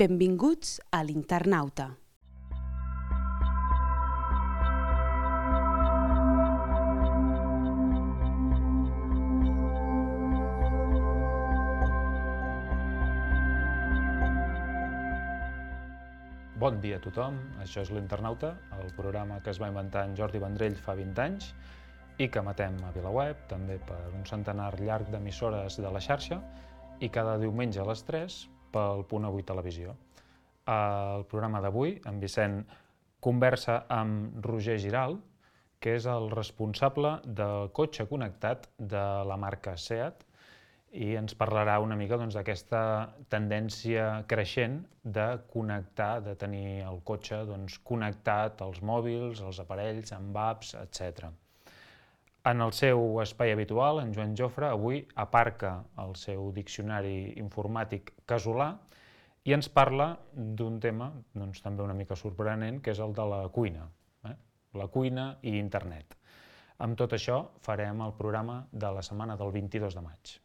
Benvinguts a l'Internauta. Bon dia a tothom, això és l'Internauta, el programa que es va inventar en Jordi Vendrell fa 20 anys i que emetem a VilaWeb, també per un centenar llarg d'emissores de la xarxa i cada diumenge a les 3 pel Punt Avui Televisió. El programa d'avui, en Vicent conversa amb Roger Giralt, que és el responsable del cotxe connectat de la marca SEAT, i ens parlarà una mica d'aquesta tendència creixent de connectar, de tenir el cotxe connectat als mòbils, als aparells, amb apps, etc. En el seu espai habitual, en Joan Jofre avui aparca el seu diccionari informàtic casolà i ens parla d'un tema també una mica sorprenent, que és el de la cuina. La cuina i internet. Amb tot això farem el programa de la setmana del 22 de maig.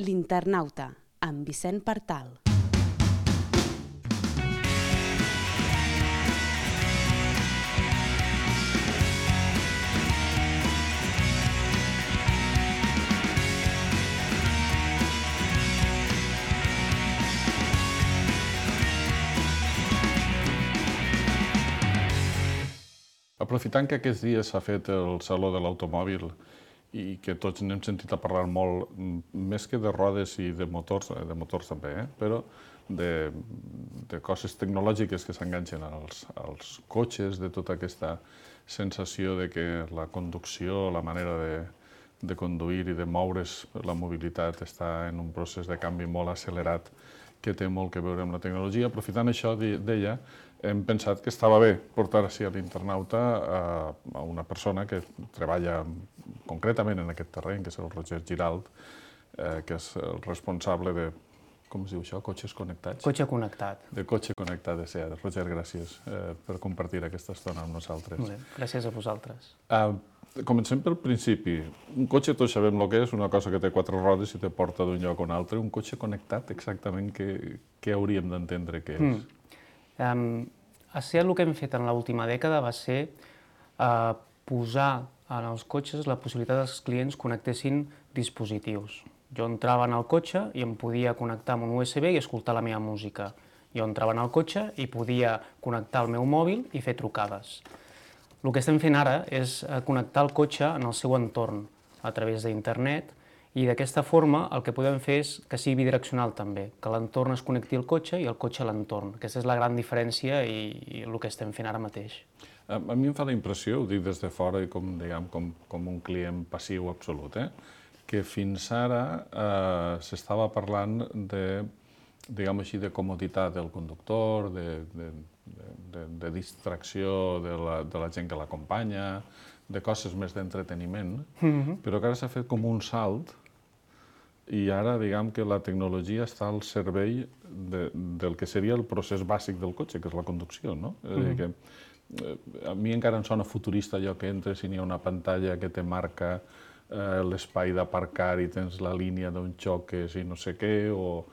L'Internauta, amb Vicent Partal. Aprofitant que aquests dies s'ha fet el Saló de l'Automòbil i que tots n'hem sentit a parlar molt, més que de rodes i de motors també, però de coses tecnològiques que s'enganxen als cotxes, de tota aquesta sensació de que la conducció, la manera de conduir i de moure's, la mobilitat està en un procés de canvi molt accelerat que té molt que veure amb la tecnologia. Aprofitant això, deia, hem pensat que estava bé portar així a l'Internauta a una persona que treballa concretament en aquest terreny, que és el Roger Giralt, que és el responsable de, com es diu això, cotxes connectats? Cotxe connectat. De cotxe connectat de SEAT. Roger, gràcies per compartir aquesta estona amb nosaltres. Molt bé, gràcies a vosaltres. Comencem pel principi. Un cotxe tots sabem el que és, una cosa que té 4 rodes i te porta d'un lloc a un altre. Un cotxe connectat, exactament què hauríem d'entendre que és? A SEAT el que hem fet en l'última dècada va ser posar en els cotxes la possibilitat que els clients connectessin dispositius. Jo entrava en el cotxe i em podia connectar amb un USB i escoltar la meva música. Jo entrava en el cotxe i podia connectar el meu mòbil i fer trucades. El que estem fent ara és connectar el cotxe en el seu entorn a través d'internet i d'aquesta forma el que podem fer és que sigui bidireccional també, que l'entorn es connecti al cotxe i el cotxe a l'entorn. Aquesta és la gran diferència i el que estem fent ara mateix. A mi em fa la impressió, ho dic des de fora i com un client passiu absolut, que fins ara s'estava parlant de, diguem així, de comoditat del conductor, de distracció de la gent que l'acompanya, de coses més d'entreteniment, però que ara s'ha fet com un salt i ara, diguem que la tecnologia està al servei del que seria el procés bàsic del cotxe, que és la conducció, no? És a dir, que a mi encara em sona futurista allò que entres i n'hi ha una pantalla que te marca l'espai d'aparcar i tens la línia d'on xoques i no sé què, o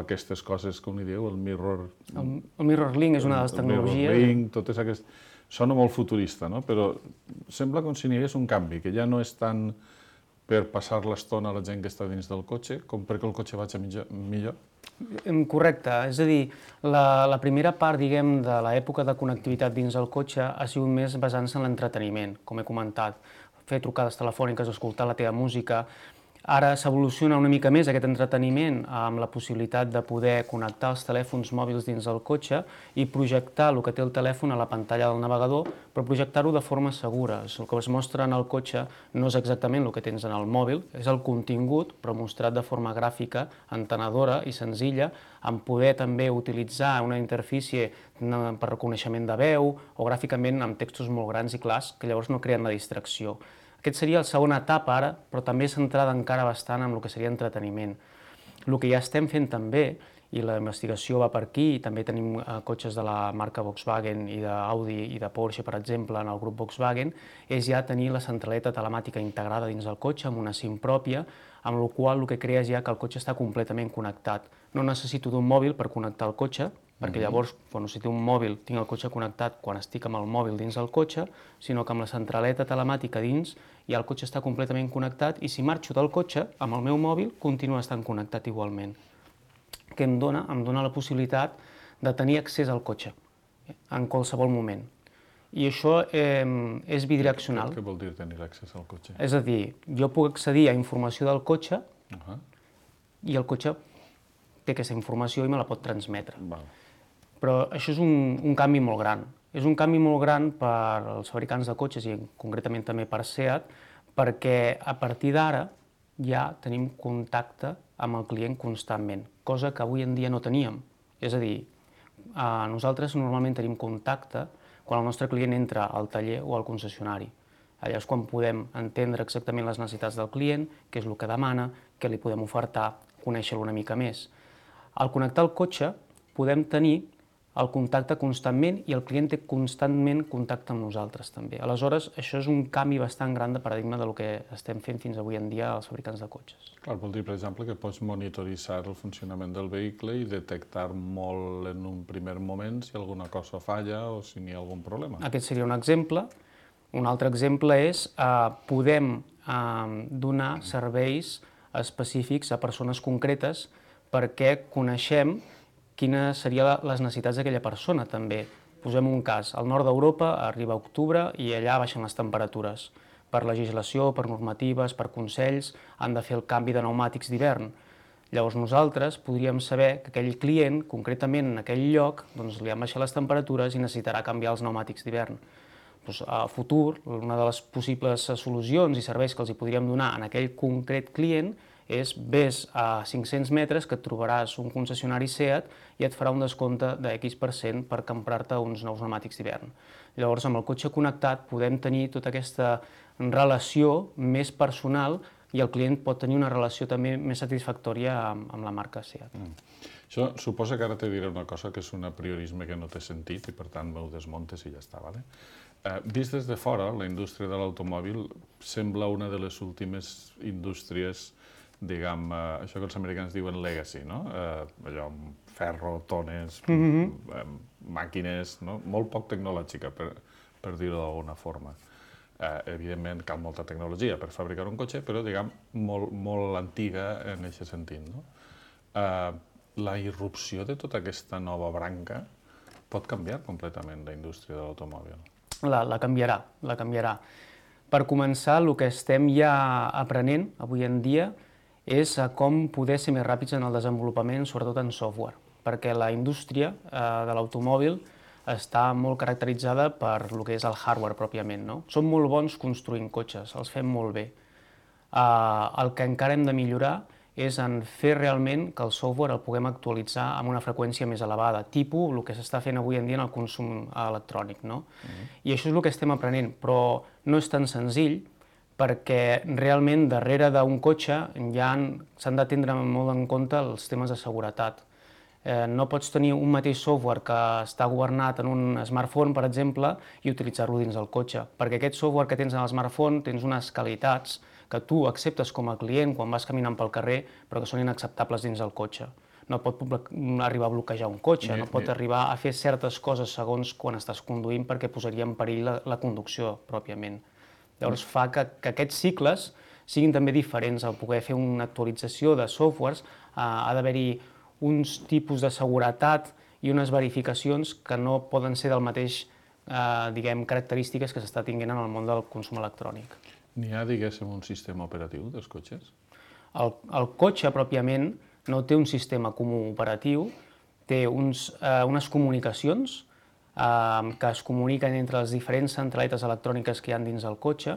aquestes coses, com n'hi diu, el mirror... El Mirror Link és una de les tecnologies. El Mirror Link, totes aquestes... Sona molt futurista, no? Però sembla com si n'hi hagués un canvi, que ja no és tant per passar l'estona a la gent que està dins del cotxe, com perquè el cotxe vagi millor. Correcte, és a dir, la primera part, diguem, de l'època de connectivitat dins el cotxe ha sigut més basant-se en l'entreteniment, com he comentat, fer trucades telefòniques, escoltar la teva música. Ara s'evoluciona una mica més aquest entreteniment amb la possibilitat de poder connectar els telèfons mòbils dins el cotxe i projectar el que té el telèfon a la pantalla del navegador, però projectar-ho de forma segura. El que es mostra en el cotxe no és exactament el que tens en el mòbil, és el contingut, però mostrat de forma gràfica, entenedora i senzilla, en poder també utilitzar una interfície per reconeixement de veu o gràficament amb textos molt grans i clars que llavors no creen la distracció. Aquest seria la segona etapa ara, però també centrada encara bastant en el que seria entreteniment. El que ja estem fent també, i la investigació va per aquí, i també tenim cotxes de la marca Volkswagen i d'Audi i de Porsche, per exemple, en el grup Volkswagen, és ja tenir la centraleta telemàtica integrada dins del cotxe amb una SIM pròpia, amb la qual el que crea és ja que el cotxe està completament connectat. No necessito d'un mòbil per connectar el cotxe, perquè llavors, si té un mòbil, tinc el cotxe connectat quan estic amb el mòbil dins del cotxe, sinó que amb la centraleta telemàtica dins ja el cotxe està completament connectat i si marxo del cotxe, amb el meu mòbil, continua estant connectat igualment. Què em dona? Em dona la possibilitat de tenir accés al cotxe en qualsevol moment. I això és bidireccional. Què vol dir tenir accés al cotxe? És a dir, jo puc accedir a informació del cotxe i el cotxe té aquesta informació i me la pot transmetre. Però això és un canvi molt gran. És un canvi molt gran per als fabricants de cotxes i concretament també per SEAT, perquè a partir d'ara ja tenim contacte amb el client constantment, cosa que avui en dia no teníem. És a dir, nosaltres normalment tenim contacte quan el nostre client entra al taller o al concessionari. Allà és quan podem entendre exactament les necessitats del client, què és el que demana, què li podem ofertar, conèixer-lo una mica més. Al connectar el cotxe podem tenir el contacte constantment i el client té constantment contacte amb nosaltres també. Aleshores, això és un canvi bastant gran de paradigma del que estem fent fins avui en dia els fabricants de cotxes. Clar, vol dir, per exemple, que pots monitoritzar el funcionament del vehicle i detectar molt en un primer moment si alguna cosa falla o si n'hi ha algun problema. Aquest seria un exemple. Un altre exemple és podem donar serveis específics a persones concretes perquè coneixem quines serien les necessitats d'aquella persona també. Posem un cas, al nord d'Europa arriba octubre i allà baixen les temperatures. Per legislació, per normatives, per consells, han de fer el canvi de pneumàtics d'hivern. Llavors nosaltres podríem saber que aquell client, concretament en aquell lloc, li han baixat les temperatures i necessitarà canviar els pneumàtics d'hivern. A futur, una de les possibles solucions i serveis que els podríem donar en aquell concret client és vés a 500 metres que et trobaràs un concessionari SEAT i et farà un descompte de X% per comprar-te uns nous pneumàtics d'hivern. Llavors, amb el cotxe connectat podem tenir tota aquesta relació més personal i el client pot tenir una relació també més satisfactòria amb la marca SEAT. Això suposa que ara te diré una cosa que és un apriorisme que no té sentit i per tant m'ho desmontes i ja està, vale? Vist des de fora, la indústria de l'automòbil sembla una de les últimes indústries, diguem, això que els americans diuen legacy, no? Allò amb ferro, tones, màquines, molt poc tecnològica, per dir-ho d'alguna forma. Evidentment cal molta tecnologia per fabricar un cotxe, però, diguem, molt antiga en aquest sentit. La irrupció de tota aquesta nova branca pot canviar completament la indústria de l'automòbil. La canviarà, la canviarà. Per començar, el que estem ja aprenent avui en dia és com poder ser més ràpids en el desenvolupament, sobretot en software, perquè la indústria de l'automòbil està molt caracteritzada per el que és el hardware pròpiament. Som molt bons construint cotxes, els fem molt bé. El que encara hem de millorar és en fer realment que el software el puguem actualitzar amb una freqüència més elevada, tipus el que s'està fent avui en dia en el consum electrònic. I això és el que estem aprenent, però no és tan senzill, perquè realment darrere d'un cotxe s'han de tindre molt en compte els temes de seguretat. No pots tenir un mateix software que està governat en un smartphone, per exemple, i utilitzar-lo dins del cotxe, perquè aquest software que tens en el smartphone tens unes qualitats que tu acceptes com a client quan vas caminant pel carrer, però que són inacceptables dins del cotxe. No pot arribar a bloquejar un cotxe, no pot arribar a fer certes coses segons quan estàs conduint perquè posaria en perill la conducció pròpiament. Llavors fa que aquests cicles siguin també diferents. Al poder fer una actualització de softwares ha d'haver-hi uns tipus de seguretat i unes verificacions que no poden ser del mateix, característiques que s'està tinguent en el món del consum electrònic. N'hi ha, diguéssim, un sistema operatiu dels cotxes? El cotxe, pròpiament, no té un sistema comú operatiu, té unes comunicacions que es comuniquen entre les diferents centraletes electròniques que hi ha dins del cotxe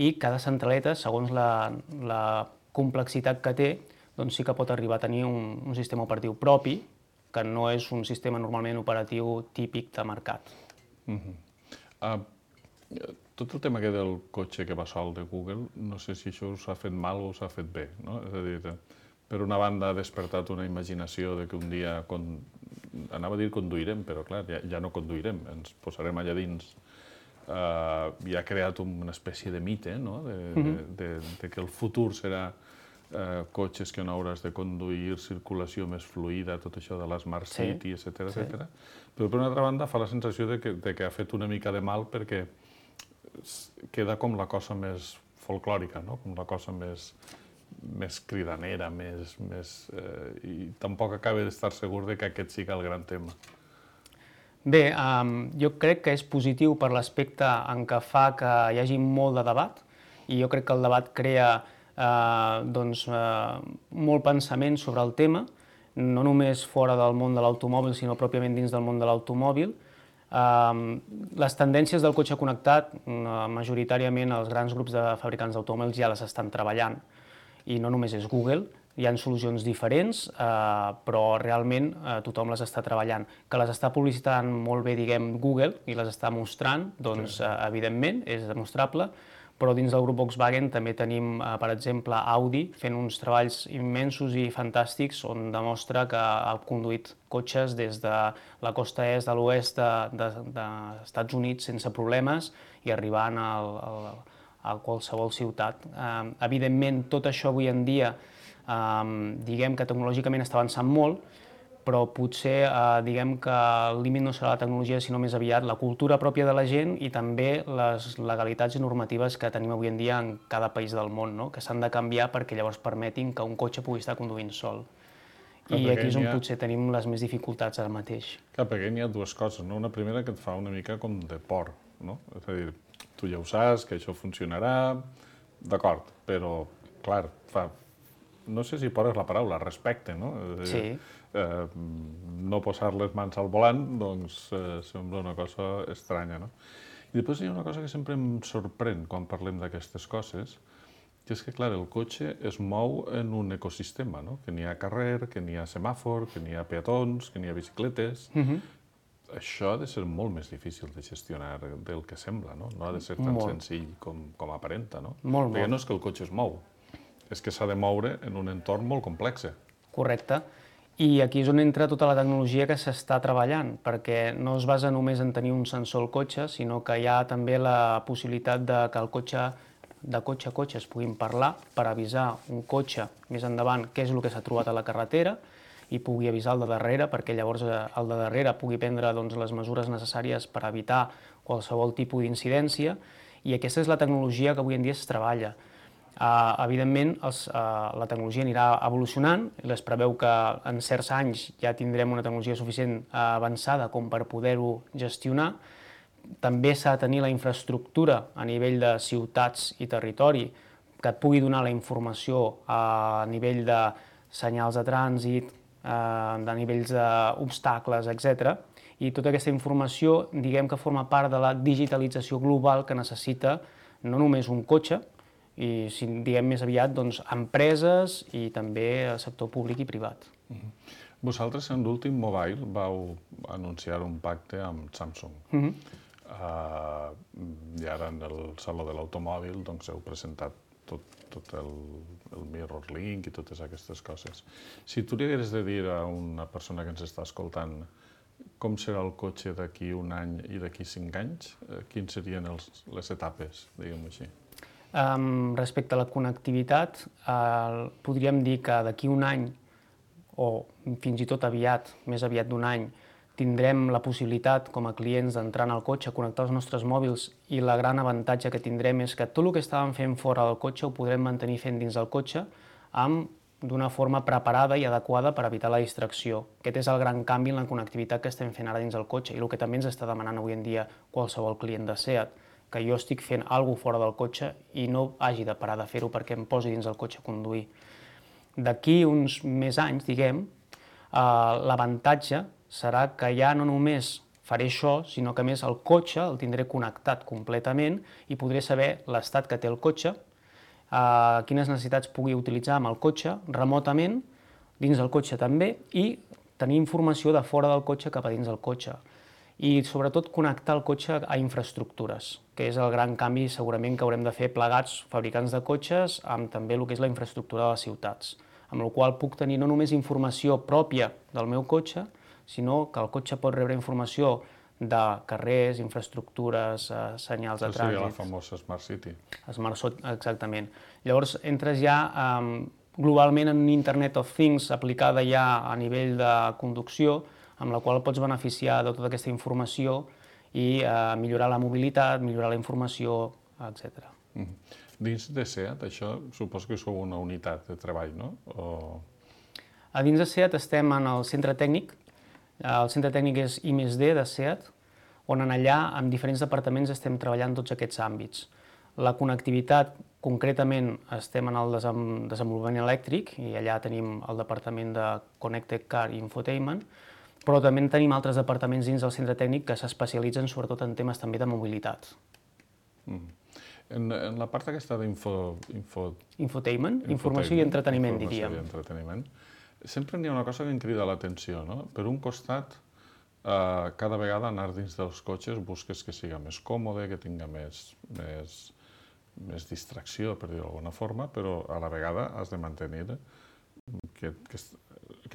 i cada centraleta, segons la complexitat que té, doncs sí que pot arribar a tenir un sistema operatiu propi, que no és un sistema normalment operatiu típic de mercat. Tot el tema del cotxe que va sol de Google, no sé si això s'ha fet mal o s'ha fet bé, no? És a dir, per una banda ha despertat una imaginació de que un dia, anava a dir conduirem, però clar, ja no conduirem, ens posarem allà dins i ha creat una espècie de mite, no? De que el futur serà cotxes que no hauràs de conduir, circulació més fluida, tot això de l'Smart City, etc. Però per una altra banda fa la sensació de que ha fet una mica de mal perquè queda com la cosa més folclòrica, no? Com la cosa més cridanera, i tampoc acaba d'estar segur de que aquest sigui el gran tema. Bé, jo crec que és positiu per l'aspecte en què fa que hi hagi molt de debat, i jo crec que el debat crea molt pensament sobre el tema, no només fora del món de l'automòbil, sinó pròpiament dins del món de l'automòbil. Les tendències del cotxe connectat, majoritàriament els grans grups de fabricants d'automòbils ja les estan treballant, i no només és Google, hi ha solucions diferents, però realment tothom les està treballant. Que les està publicitant molt bé, diguem, Google, i les està mostrant, doncs, evidentment, és demostrable, però dins del grup Volkswagen també tenim, per exemple, Audi fent uns treballs immensos i fantàstics on demostra que ha conduït cotxes des de la costa est de l'oest dels Estats Units sense problemes i arribant a qualsevol ciutat. Evidentment, tot això avui en dia, diguem que tecnològicament està avançant molt, però potser diguem que el límit no serà la tecnologia, sinó més aviat la cultura pròpia de la gent i també les legalitats i normatives que tenim avui en dia en cada país del món, no? Que s'han de canviar perquè llavors permetin que un cotxe pugui estar conduint sol. I aquí és on potser tenim les més dificultats ara mateix. Clar, perquè hi ha dues coses, no? Una primera que et fa una mica com de por, no? És a dir, tu ja ho saps, que això funcionarà, d'acord, però, clar, no sé si por és la paraula, respecte, no? Sí. No posar les mans al volant, doncs sembla una cosa estranya, no? I després hi ha una cosa que sempre em sorprèn quan parlem d'aquestes coses, que és que, clar, el cotxe es mou en un ecosistema, no? Que n'hi ha carrer, que n'hi ha semàfor, que n'hi ha peatons, que n'hi ha bicicletes. Això ha de ser molt més difícil de gestionar del que sembla, no? No ha de ser tan senzill com aparenta, no? Perquè no és que el cotxe es mou, és que s'ha de moure en un entorn molt complex. Correcte. I aquí és on entra tota la tecnologia que s'està treballant, perquè no es basa només en tenir un sensor al cotxe, sinó que hi ha també la possibilitat que el cotxe, de cotxe a cotxe, es puguin parlar per avisar un cotxe més endavant què és el que s'ha trobat a la carretera i pugui avisar el de darrere, perquè llavors el de darrere pugui prendre les mesures necessàries per evitar qualsevol tipus d'incidència, i aquesta és la tecnologia que avui en dia es treballa. Evidentment, la tecnologia anirà evolucionant, es preveu que en certs anys ja tindrem una tecnologia suficient avançada com per poder-ho gestionar. També s'ha de tenir la infraestructura a nivell de ciutats i territori que et pugui donar la informació a nivell de senyals de trànsit, de nivells d'obstacles, etc. I tota aquesta informació, diguem que forma part de la digitalització global que necessita no només un cotxe, i, si diguem més aviat, empreses i també el sector públic i privat. Vosaltres, en l'últim Mobile, vau anunciar un pacte amb Samsung. I ara, en el Saló de l'Automòbil, heu presentat tot el Mirror Link i totes aquestes coses. Si tu li hagués de dir a una persona que ens està escoltant com serà el cotxe d'aquí un any i d'aquí 5 anys, quines serien les etapes, diguem-ho així? Respecte a la connectivitat, podríem dir que d'aquí un any, o fins i tot aviat, més aviat d'un any, tindrem la possibilitat com a clients d'entrar en el cotxe, connectar els nostres mòbils, i la gran avantatge que tindrem és que tot el que estàvem fent fora del cotxe ho podrem mantenir fent dins del cotxe d'una forma preparada i adequada per evitar la distracció. Aquest és el gran canvi en la connectivitat que estem fent ara dins del cotxe i el que també ens està demanant avui en dia qualsevol client de SEAT, que jo estic fent alguna cosa fora del cotxe i no hagi de parar de fer-ho perquè em posi dins del cotxe a conduir. D'aquí uns més anys, diguem, l'avantatge serà que ja no només faré això, sinó que a més el cotxe el tindré connectat completament i podré saber l'estat que té el cotxe, quines necessitats pugui utilitzar amb el cotxe remotament, dins del cotxe també, i tenir informació de fora del cotxe cap a dins del cotxe. I sobretot connectar el cotxe a infraestructures, que és el gran canvi segurament que haurem de fer plegats fabricants de cotxes amb també el que és la infraestructura de les ciutats, amb la qual puc tenir no només informació pròpia del meu cotxe, sinó que el cotxe pot rebre informació de carrers, infraestructures, senyals de trànsit. Això seria la famosa Smart City. Exactament. Llavors entres ja globalment en Internet of Things aplicada ja a nivell de conducció, amb la qual pots beneficiar de tota aquesta informació i millorar la mobilitat, millorar la informació, etc. Dins de SEAT, això suposo que sou una unitat de treball, no? A dins de SEAT estem en el centre tècnic. El centre tècnic és I+D de SEAT, on allà, amb diferents departaments, estem treballant tots aquests àmbits. La connectivitat, concretament, estem en el desenvolupament elèctric, i allà tenim el departament de Connected Car i Infotainment, però també tenim altres departaments dins del centre tècnic que s'especialitzen sobretot en temes també de mobilitat. En la part aquesta Infotainment, informació i entreteniment, diríem. Sempre n'hi ha una cosa que em crida l'atenció, no? Per un costat, cada vegada anar dins dels cotxes busques que siga més còmode, que tinga més distracció, per dir-ho d'alguna forma, però a la vegada has de mantenir que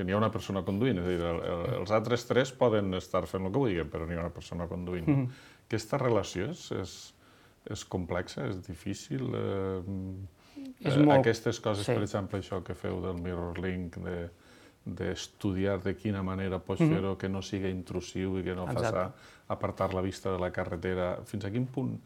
n'hi ha una persona conduint. És a dir, els altres tres poden estar fent el que vulguin, però n'hi ha una persona conduint. Aquesta relació és complexa, és difícil? Aquestes coses, per exemple, això que feu del MirrorLink, d'estudiar de quina manera pots fer-ho, que no sigui intrusiu i que no faci apartar la vista de la carretera. Fins a quin punt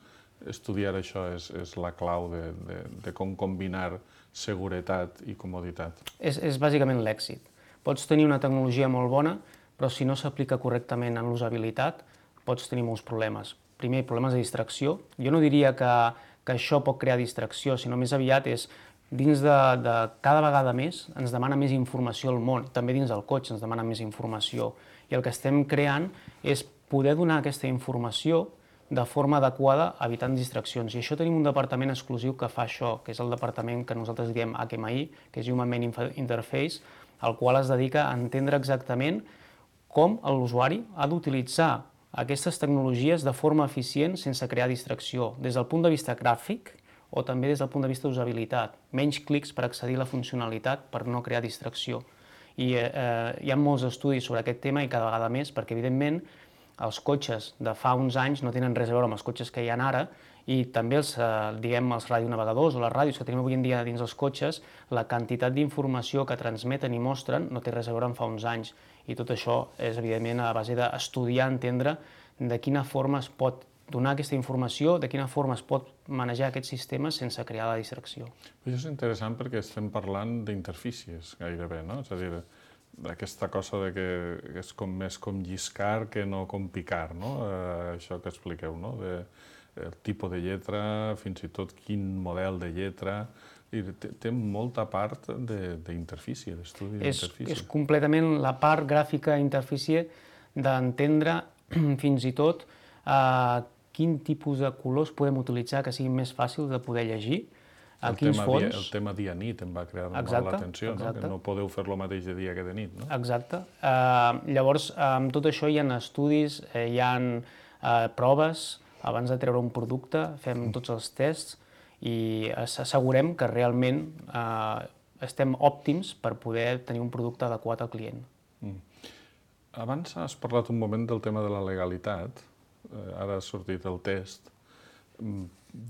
estudiar això és la clau de com combinar seguretat i comoditat? És bàsicament l'èxit. Pots tenir una tecnologia molt bona, però si no s'aplica correctament en l'usabilitat, pots tenir molts problemes. Primer, problemes de distracció. Jo no diria que això pot crear distracció, sinó més aviat és dins de cada vegada més ens demana més informació al món, també dins del cotxe ens demana més informació. I el que estem creant és poder donar aquesta informació de forma adequada, evitant distraccions. I això tenim un departament exclusiu que fa això, que és el departament que nosaltres diem HMI, que és Human Machine Interface, el qual es dedica a entendre exactament com l'usuari ha d'utilitzar aquestes tecnologies de forma eficient sense crear distracció, des del punt de vista gràfic o també des del punt de vista d'usabilitat. Menys clics per accedir a la funcionalitat per no crear distracció. I hi ha molts estudis sobre aquest tema i cada vegada més, perquè evidentment els cotxes de fa uns anys no tenen res a veure amb els cotxes que hi ha ara i també els radionavegadors o les ràdios que tenim avui en dia dins els cotxes, la quantitat d'informació que transmeten i mostren no té res a veure amb fa uns anys. I tot això és, evidentment, a base d'estudiar, entendre de quina forma es pot donar aquesta informació, de quina forma es pot manejar aquests sistemes sense crear la distracció. Això és interessant perquè estem parlant d'interfícies gairebé, no? És a dir, aquesta cosa que és més com lliscar que no com picar, no? Això que expliqueu, no? El tipus de lletra, fins i tot quin model de lletra. Té molta part d'interfície, d'estudi d'interfície. És completament la part gràfica interfície d'entendre fins i tot quin tipus de colors podem utilitzar que siguin més fàcils de poder llegir, a quins fons. El tema dia-nit em va cridar molt l'atenció, que no podeu fer el mateix de dia que de nit, no? Exacte. Llavors, amb tot això hi ha estudis, hi ha proves, abans de treure un producte fem tots els tests i assegurem que realment estem òptims per poder tenir un producte adequat al client. Abans has parlat un moment del tema de la legalitat, ara ha sortit el test.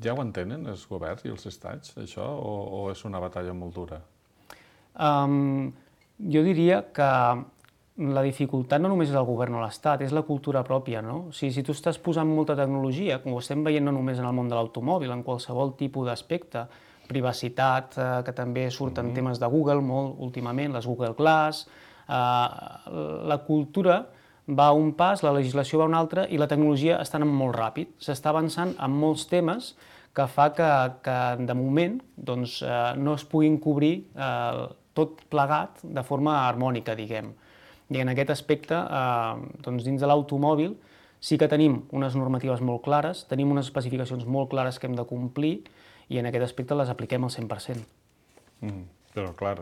Ja ho entenen els governs i els estats, això, o és una batalla molt dura? Jo diria que la dificultat no només és el govern o l'Estat, és la cultura pròpia, no? O sigui, si tu estàs posant molta tecnologia, com ho estem veient no només en el món de l'automòbil, en qualsevol tipus d'aspecte, privacitat, que també surten temes de Google molt últimament, les Google Glass, la cultura va a un pas, la legislació va a un altre i la tecnologia està anant molt ràpid. S'està avançant en molts temes que fa que de moment no es puguin cobrir tot plegat de forma harmònica, diguem. I en aquest aspecte, dins de l'automòbil, sí que tenim unes normatives molt clares, tenim unes especificacions molt clares que hem de complir i en aquest aspecte les apliquem al 100%. Però, clar,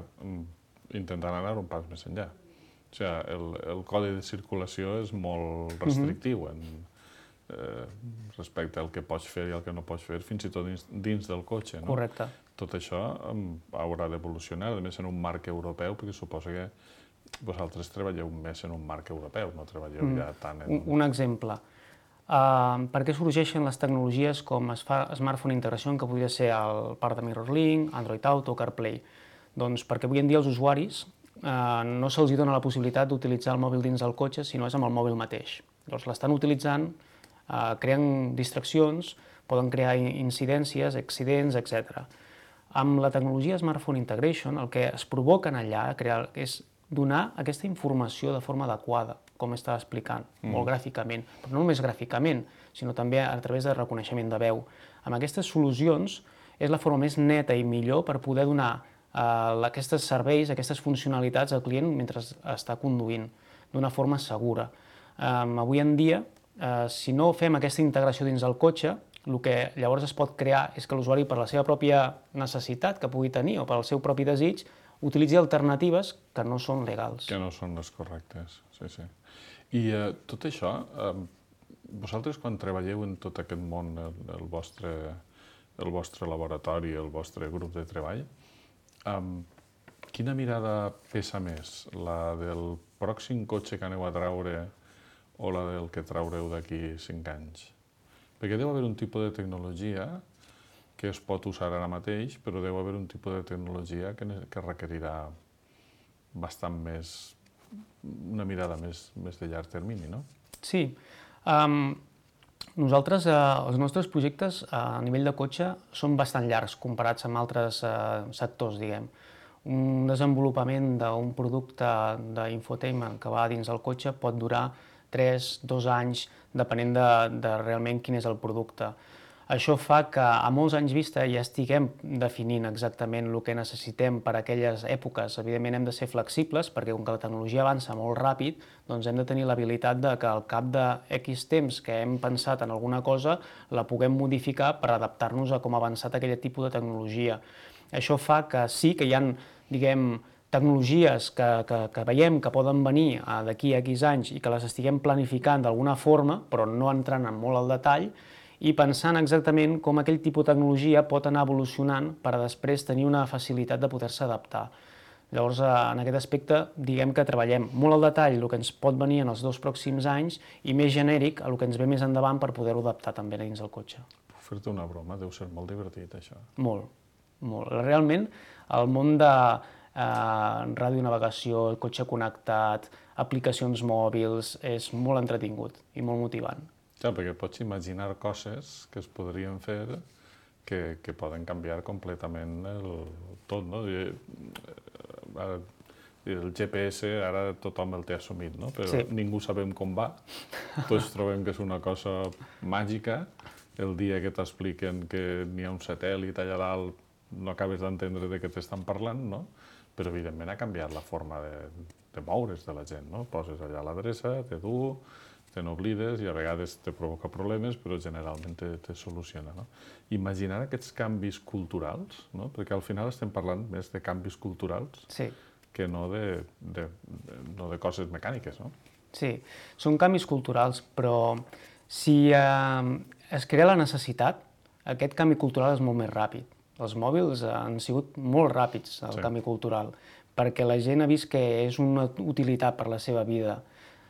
intentant anar un pas més enllà. O sigui, el codi de circulació és molt restrictiu respecte al que pots fer i el que no pots fer, fins i tot dins del cotxe. Correcte. Tot això haurà d'evolucionar, a més en un marc europeu, perquè suposa que vosaltres treballeu més en un marc europeu, no treballeu ja tant en... Un exemple. Per què sorgeixen les tecnologies com Smartphone Integration, que podria ser el part de MirrorLink, Android Auto, CarPlay? Doncs perquè avui en dia els usuaris no se'ls dona la possibilitat d'utilitzar el mòbil dins del cotxe, sinó és amb el mòbil mateix. Llavors l'estan utilitzant, creen distraccions, poden crear incidències, accidents, etc. Amb la tecnologia Smartphone Integration, el que es provoca allà és donar aquesta informació de forma adequada, com estava explicant, molt gràficament, però no només gràficament, sinó també a través de reconeixement de veu. Amb aquestes solucions és la forma més neta i millor per poder donar aquests serveis, aquestes funcionalitats al client mentre està conduint, d'una forma segura. Avui en dia, si no fem aquesta integració dins del cotxe, el que llavors es pot crear és que l'usuari, per la seva pròpia necessitat que pugui tenir o pel seu propi desig, utilitzi alternatives que no són legals. Que no són les correctes, sí. I tot això, vosaltres quan treballeu en tot aquest món, el vostre laboratori, el vostre grup de treball, quina mirada pesa més? La del pròxim cotxe que aneu a traure o la del que traureu d'aquí 5 anys? Perquè deu haver un tipus de tecnologia que es pot usar ara mateix, però deu haver un tipus de tecnologia que requerirà bastant més, una mirada més de llarg termini, no? Sí. Nosaltres, els nostres projectes a nivell de cotxe són bastant llargs comparats amb altres sectors, diguem. Un desenvolupament d'un producte d'infotainment que va dins el cotxe pot durar 3, 2 anys, depenent de realment quin és el producte. Això fa que a molts anys vista ja estiguem definint exactament el que necessitem per a aquelles èpoques. Evidentment hem de ser flexibles perquè com que la tecnologia avança molt ràpid, doncs hem de tenir l'habilitat de que al cap de X temps que hem pensat en alguna cosa la puguem modificar per adaptar-nos a com ha avançat aquell tipus de tecnologia. Això fa que sí que hi ha, diguem, tecnologies que veiem que poden venir d'aquí a X anys i que les estiguem planificant d'alguna forma, però no entrant en molt al detall, i pensant exactament com aquell tipus de tecnologia pot anar evolucionant per a després tenir una facilitat de poder-se adaptar. Llavors, en aquest aspecte, diguem que treballem molt al detall el que ens pot venir en els 2 pròxims anys i més genèric el que ens ve més endavant per poder-ho adaptar també dins del cotxe. Puc fer-te una broma, deu ser molt divertit, això. Molt, molt. Realment, el món de radionavegació, el cotxe connectat, aplicacions mòbils, és molt entretingut i molt motivant. Ja, perquè pots imaginar coses que es podrien fer que poden canviar completament tot, no? El GPS ara tothom el té assumit, no? Però ningú sabem com va. Tots trobem que és una cosa màgica. El dia que t'expliquen que n'hi ha un satèl·lit allà dalt no acabes d'entendre de què t'estan parlant, no? Però evidentment ha canviat la forma de moure's de la gent, no? Poses allà l'adreça, te du, te n'oblides i a vegades te provoca problemes, però generalment te soluciona, no? Imaginar aquests canvis culturals, no? Perquè al final estem parlant més de canvis culturals que no de coses mecàniques, no? Sí, són canvis culturals, però si es crea la necessitat, aquest canvi cultural és molt més ràpid. Els mòbils han sigut molt ràpids, el canvi cultural, perquè la gent ha vist que és una utilitat per la seva vida.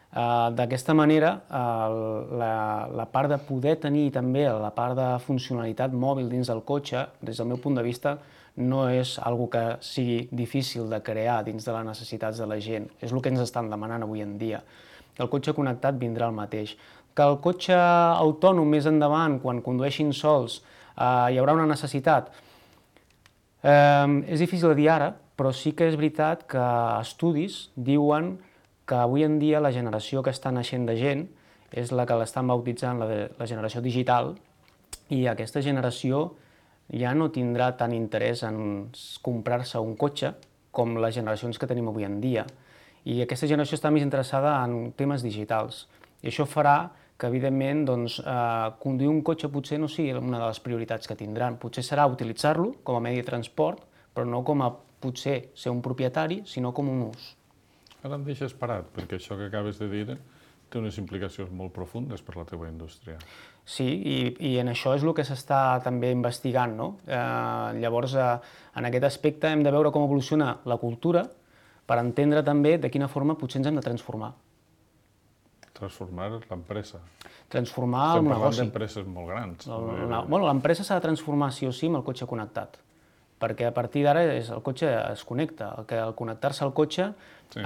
D'aquesta manera, la part de poder tenir també la part de funcionalitat mòbil dins del cotxe, des del meu punt de vista, no és una que sigui difícil de crear dins de les necessitats de la gent. És el que ens estan demanant avui en dia. El cotxe connectat vindrà el mateix. Que el cotxe autònom més endavant, quan condueixin sols, hi haurà una necessitat. És difícil de dir ara, però sí que és veritat que estudis diuen que avui en dia la generació que està naixent de gent és la que l'estan bautitzant la generació digital i aquesta generació ja no tindrà tant interès en comprar-se un cotxe com les generacions que tenim avui en dia. I aquesta generació està més interessada en temes digitals. I això farà que, evidentment, conduir un cotxe potser no sigui una de les prioritats que tindran. Potser serà utilitzar-lo com a medi de transport, però no com a potser ser un propietari, sinó com un ús. Ara em deixes parat, perquè això que acabes de dir té unes implicacions molt profundes per la teva indústria. Sí, i en això és el que s'està també investigant, no? Llavors, en aquest aspecte hem de veure com evoluciona la cultura per entendre també de quina forma potser ens hem de transformar. Transformar l'empresa. Transformar el negoci. Estem parlant d'empreses molt grans. L'empresa s'ha de transformar sí o sí amb el cotxe connectat. perquè a partir d'ara el cotxe es connecta, al connectar-se al cotxe... Sí,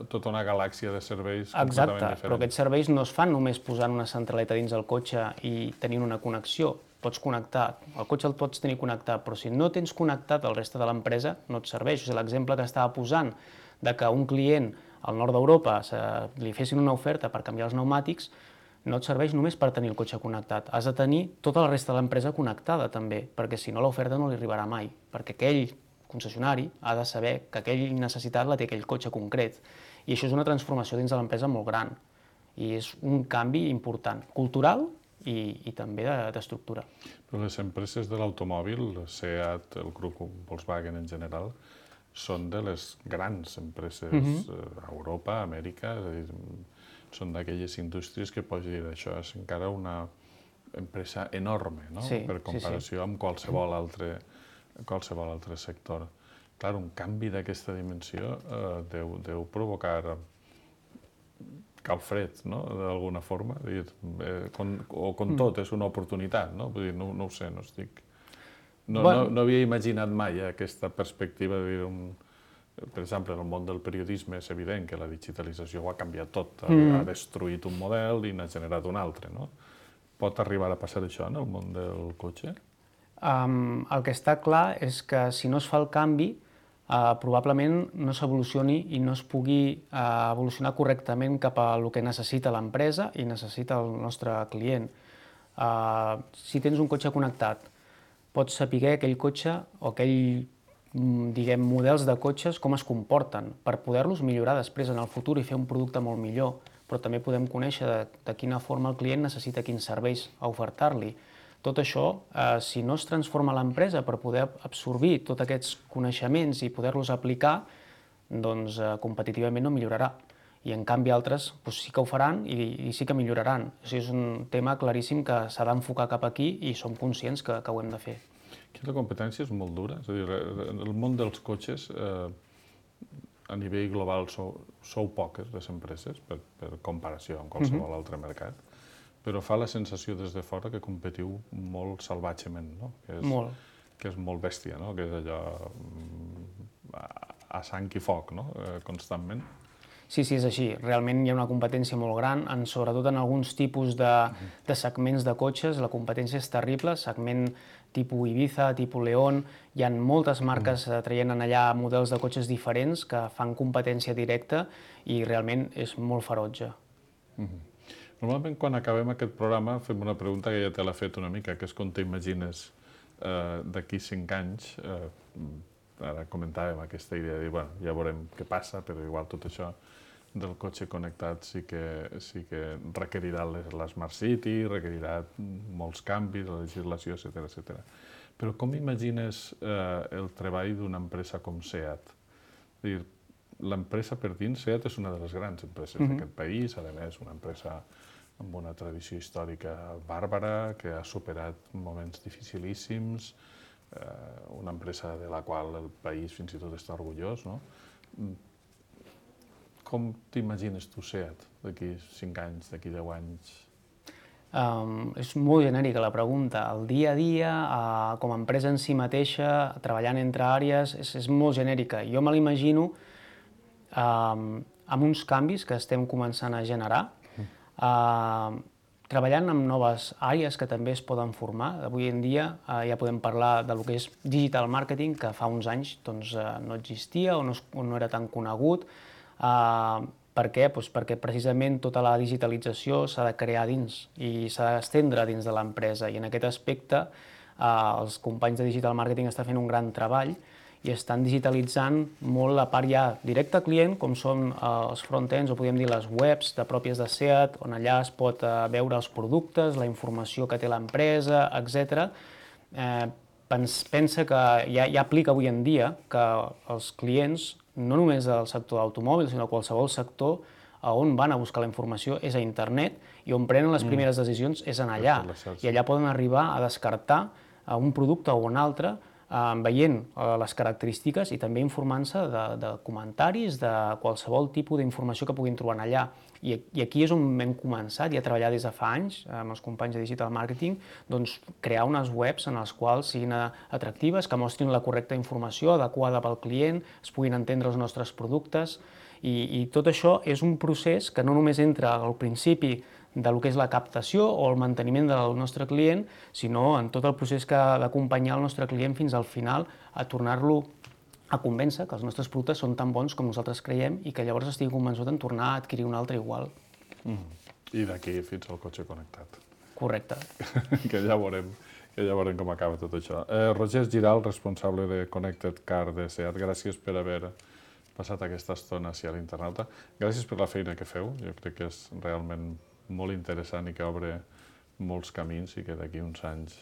tota una galàxia de serveis completament Exacte, diferents. però aquests serveis no es fan només posant una centraleta dins el cotxe i tenint una connexió. Pots connectar, el cotxe el pots tenir connectat, però si no tens connectat el reste de l'empresa, no et serveix. O sigui, l'exemple que estava posant de que un client al nord d'Europa li fessin una oferta per canviar els pneumàtics, no et serveix només per tenir el cotxe connectat. Has de tenir tota la resta de l'empresa connectada també, perquè si no l'oferta no li arribarà mai, perquè aquell concessionari ha de saber que aquella necessitat la té aquell cotxe concret. I això és una transformació dins de l'empresa molt gran. I és un canvi important, cultural i també d'estructura. Però les empreses de l'automòbil, SEAT, el grup Volkswagen en general, són de les grans empreses a Europa, a Amèrica, és a dir, són d'aquelles indústries que pots dir això és encara una empresa enorme, no? Per comparació amb qualsevol altre sector. Clar, un canvi d'aquesta dimensió deu provocar calfred, no?, d'alguna forma. O com tot, és una oportunitat, no? Vull dir, no ho sé, no estic... No havia imaginat mai aquesta perspectiva de dir per exemple, en el món del periodisme és evident que la digitalització ho ha canviat tot, ha destruït un model i n'ha generat un altre, no? Pot arribar a passar això en el món del cotxe? El que està clar és que si no es fa el canvi, probablement no s'evolucioni i no es pugui evolucionar correctament cap a el que necessita l'empresa i necessita el nostre client. Si tens un cotxe connectat, pots saber aquell cotxe o aquell models de cotxes com es comporten per poder-los millorar després en el futur i fer un producte molt millor, però també podem conèixer de quina forma el client necessita quins serveis a ofertar-li. Tot això, si no es transforma l'empresa per poder absorbir tots aquests coneixements i poder-los aplicar, doncs competitivament no millorarà. I en canvi altres sí que ho faran i sí que milloraran. És un tema claríssim que s'ha d'enfocar cap aquí i som conscients que ho hem de fer. Aquí la competència és molt dura. És a dir, el món dels cotxes, a nivell global, sou poques les empreses, per comparació amb qualsevol altre mercat, però fa la sensació des de fora que competiu molt salvatgement, no? Molt. Que és molt bèstia, no? Que és allò a sang i foc, no? Constantment. Sí, és així. Realment hi ha una competència molt gran, sobretot en alguns tipus de segments de cotxes. La competència és terrible, segment tipus Ibiza, tipus León. Hi ha moltes marques traient allà models de cotxes diferents que fan competència directa i realment és molt ferotge. Normalment, quan acabem aquest programa, fem una pregunta que ja te l'ha fet una mica, que és com t'imagines d'aquí 5 anys. Ara comentàvem aquesta idea de dir, bueno, ja veurem què passa, però igual tot això del cotxe connectat sí que requerirà l'Smart City, requerirà molts canvis, la legislació, etc. Però com imagines el treball d'una empresa com SEAT? L'empresa per dins, SEAT és una de les grans empreses d'aquest país, a més una empresa amb una tradició històrica bàrbara, que ha superat moments dificilíssims, una empresa de la qual el país fins i tot està orgullós, no? Com t'imagines tu SEAT d'aquí 5 anys, d'aquí 10 anys? És molt genèrica la pregunta. El dia a dia, com a empresa en si mateixa, treballant entre àrees, és molt genèrica. Jo me l'imagino amb uns canvis que estem començant a generar, treballant amb noves àrees que també es poden formar. Avui en dia ja podem parlar del que és digital marketing, que fa uns anys no existia o no era tan conegut. Per què? Perquè precisament tota la digitalització s'ha de crear dins i s'ha d'estendre dins de l'empresa. I en aquest aspecte els companys de digital marketing estan fent un gran treball i estan digitalitzant molt la part ja directa al client, com són els front-ends o podríem dir les webs pròpies de SEAT, on allà es pot veure els productes, la informació que té l'empresa, etc. Pensa que ja aplica avui en dia que els clients, no només del sector d'automòbils, sinó qualsevol sector, on van a buscar la informació és a internet i on prenen les primeres decisions és en allà. I allà poden arribar a descartar un producte o un altre veient les característiques i també informant-se de comentaris, de qualsevol tipus d'informació que puguin trobar allà. I aquí és on hem començat i a treballar des de fa anys amb els companys de Digital Marketing, doncs crear unes webs en les quals siguin atractives, que mostrin la correcta informació adequada pel client, es puguin entendre els nostres productes i tot això és un procés que no només entra al principi del que és la captació o el manteniment del nostre client, sinó en tot el procés que ha d'acompanyar el nostre client fins al final a tornar-lo a convèncer que els nostres productes són tan bons com nosaltres creiem i que llavors estigui convençut en tornar a adquirir un altre igual. I d'aquí fins al cotxe connectat. Correcte. Que ja veurem com acaba tot això. Roger Giral, responsable de Connected Car de SEAT, gràcies per haver passat aquesta estona a l'internauta. Gràcies per la feina que feu, jo crec que és realment molt interessant i que obre molts camins i que d'aquí uns anys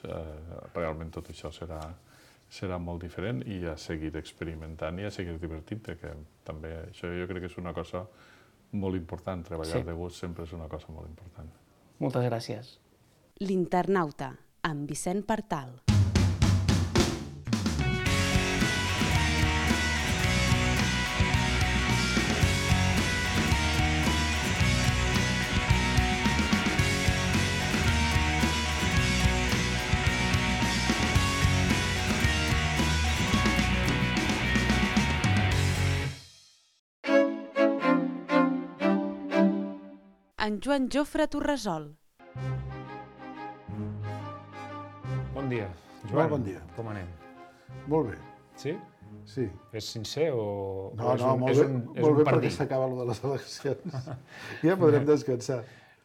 realment tot això serà molt diferent i a seguir experimentant i a seguir divertint-te, que també això jo crec que és una cosa molt important, treballar de gust sempre és una cosa molt important. Moltes gràcies. L'Internauta, amb Vicent Partal. En Joan Jofre Torresol. Bon dia, Joan. Molt bon dia. Com anem? Molt bé, Sí? sí. És sincer o No, és no, un, molt és bé, un, és molt un bé perquè partit? s'acaba lo de les eleccions. Ja podrem descansar.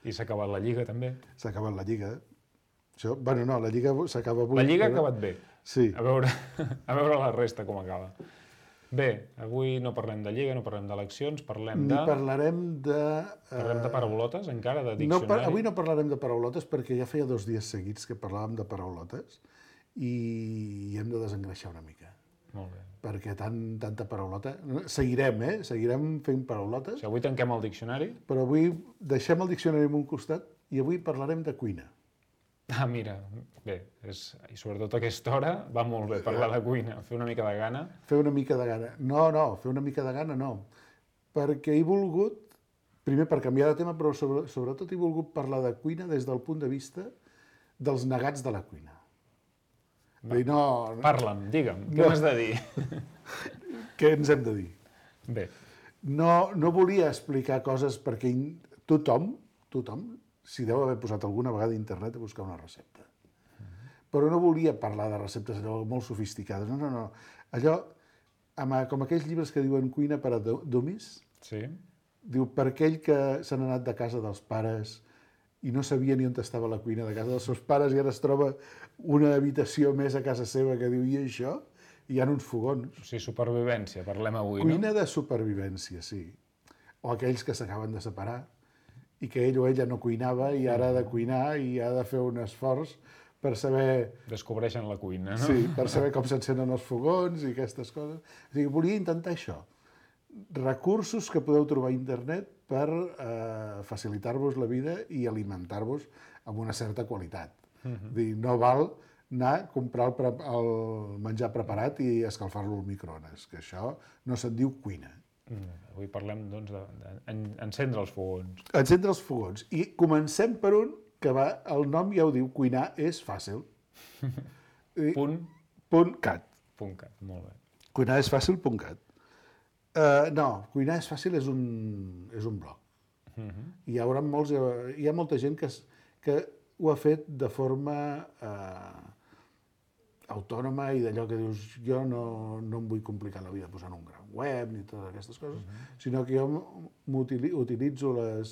I s'ha acabat la Lliga, també. S'ha acabat la Lliga. Això, bueno, no, la Lliga s'acaba avui. La Lliga ha però- acabat bé. Sí. A veure la resta com acaba. Bé, avui no parlem de Lliga, no parlem d'eleccions, parlem Ni de... parlarem de... Parlem de paraulotes, encara, de No, diccionari. avui no parlarem de paraulotes perquè ja feia 2 dies seguits que parlàvem de paraulotes i hem de desengreixar una mica. Molt bé. Perquè tanta paraulota... Seguirem, Seguirem fent paraulotes, O sigui, avui tanquem el diccionari. però avui deixem el diccionari en un costat i avui parlarem de cuina. Ah, mira, bé, i sobretot a aquesta hora va molt bé parlar de cuina, fer una mica de gana. Fer una mica de gana. No, fer una mica de gana no. Perquè he volgut, primer per canviar de tema, però sobretot he volgut parlar de cuina des del punt de vista dels negats de la cuina. Vull dir, Parla'm, digue'm, què m'has de dir? què ens hem de dir? Bé, No volia explicar coses perquè tothom s'hi deu haver posat alguna vegada a internet a buscar una recepta. Però no volia parlar de receptes allò molt sofisticades. No. Allò, com aquells llibres que diuen cuina per a dummies, sí, diu, per aquell que s'han anat de casa dels pares i no sabia ni on estava la cuina de casa dels seus pares i ara es troba una habitació més a casa seva que diu, i això? I hi ha uns fogons. o sigui, supervivència, parlem avui, Cuina de supervivència, sí. O aquells que s'acaben de separar i que ell o ella no cuinava i ara ha de cuinar i ha de fer un esforç per saber, no? Descobreixen la cuina, no? sí, per saber com s'encenen els fogons i aquestes coses. O sigui, volia intentar això. Recursos que podeu trobar a internet per facilitar-vos la vida i alimentar-vos amb una certa qualitat. Dir, no val anar a comprar el menjar preparat i escalfar-lo al microones, que això no se'n diu cuina. Avui parlem, doncs, d'encendre els fogons. Encendre els fogons. I comencem per un que el nom ja ho diu, cuinar és fàcil. Punt.cat. .cat. Molt bé. Cuinar és fàcil, .cat. No, cuinar és fàcil és un blog. Hi ha molta gent que ho ha fet de forma autònoma i d'allò que dius, jo no em vull complicar la vida posant un gran web ni totes aquestes coses, sinó que jo utilitzo les